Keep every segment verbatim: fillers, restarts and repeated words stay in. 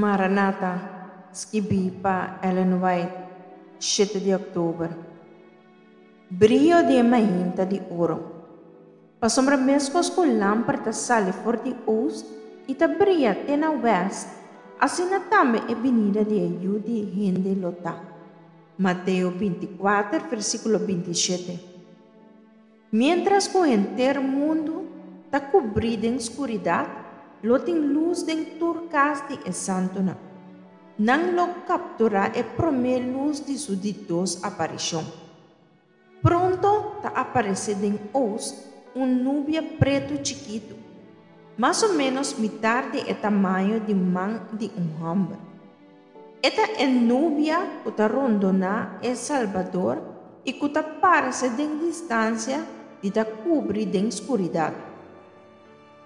Maranata, skibí pa Ellen White, shete di òktober. Brio di e mainta di oro. Pasobra meskos ku lamper ta sali for di ost i ta bria te na wèst, asina tambe e binida di e Yu di hende lo ta. Mateo binti kuater, versíkulo binti shete. Miéntras ku henter mundu ta kubrí den skuridat, lo tin lus den tur kas di e santunan. Nan lo kapturá e promé lus di su di dos aparishon. Pronto ta aparesé den ost un nubia pretu chikitu, mas o ménos mitar di e tamaño di man di un hòmber. E ta e nubia ku ta rondoná e Salbador i ku ta parse den distansia di ta kubrí den skuridat.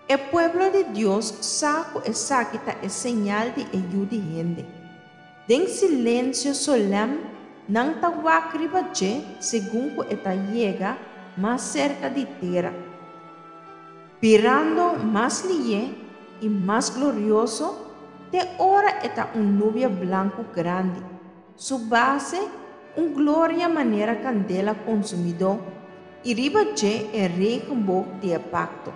E pueblo di Dios sa ku esaki ta e señal di e Yu di hende. Den silensio solèm nan ta wak riba dje segun ku e ta yega mas serka di tera, birando mas lihé i mas glorioso te ora e ta un nubia blanku grandi, su base un gloria manera kandela konsumidó i riba dje e regenboog di e pakto.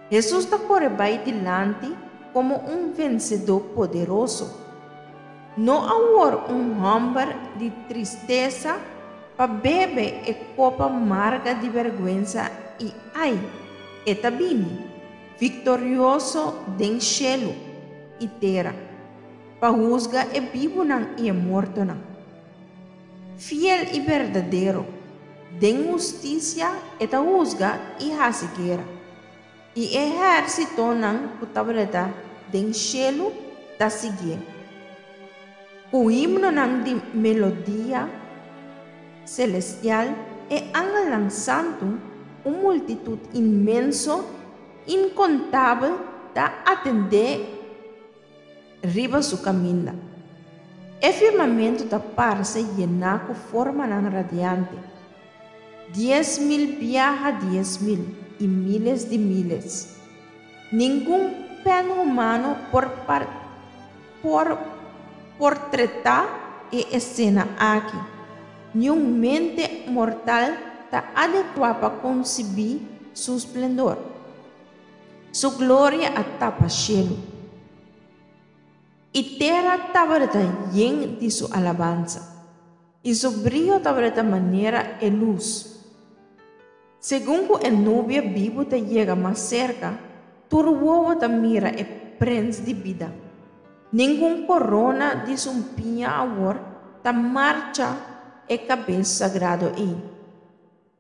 Hesus ta kore bai dilanti komo un vensedó poderoso. No awor un hòmber di tristesa pa bebe e kopa marga di bèrgwensa i ai, e ta bini, viktorioso den shelu i tera, pa husga e bibunan i e mortonan. Fiel i berdadero, den hustisia e ta husga i hasi guera. I e ehérsitonan ku tabata den shelu ta siguié. Ku himnonan di melodia selestial, e angelnan santu, un multitut inmenso, inkontabel, ta atendé riba su kaminda. E firmamentu ta parse yená ku formanan radiante, dies mil biaha dies mil i míles di míles. Ningun pèn humano por por portretá e esena aki. Niun mente mortal ta adekuá pa konsibí su splendor. Su gloria a tapa shelu, i tera tabata yen di su alabansa, i su brio tabata manera e lus. Segun ku e nubia bibu ta yega mas serka, tur wowo ta mira e Prens di bida. Ningun korona di sumpiña awor ta marcha e kabes sagrado ei.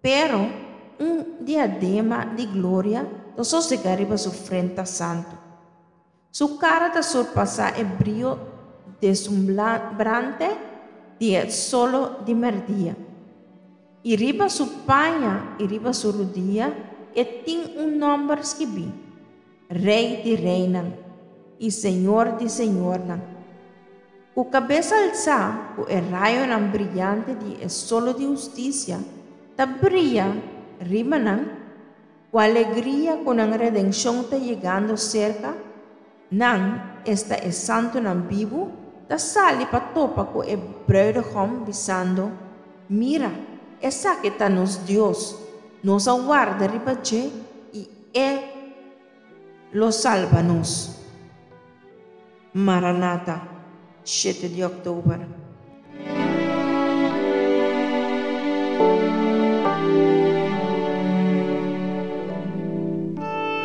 Pero un diadema di gloria ta sosegá riba su frenta santu. Su kara ta surpasá e brio deslumbrante di e solo di mèrdia. I riba su paña i riba su rudia e tin un nòmber skibí, Rei di reinan i Señor di señornan. Ku kabes alsá, ku e rayonan briante di e solo di hustisia ta bria riba nan, ku alegria ku nan redenshon ta yegando serka, nan, esta e santunan bibu, ta sali pa topa ku e brùidehòm bisando, Mira, esaki ta nos Dios, nos a warda riba dje i e lo salba nos. Maranata, shete di òktober.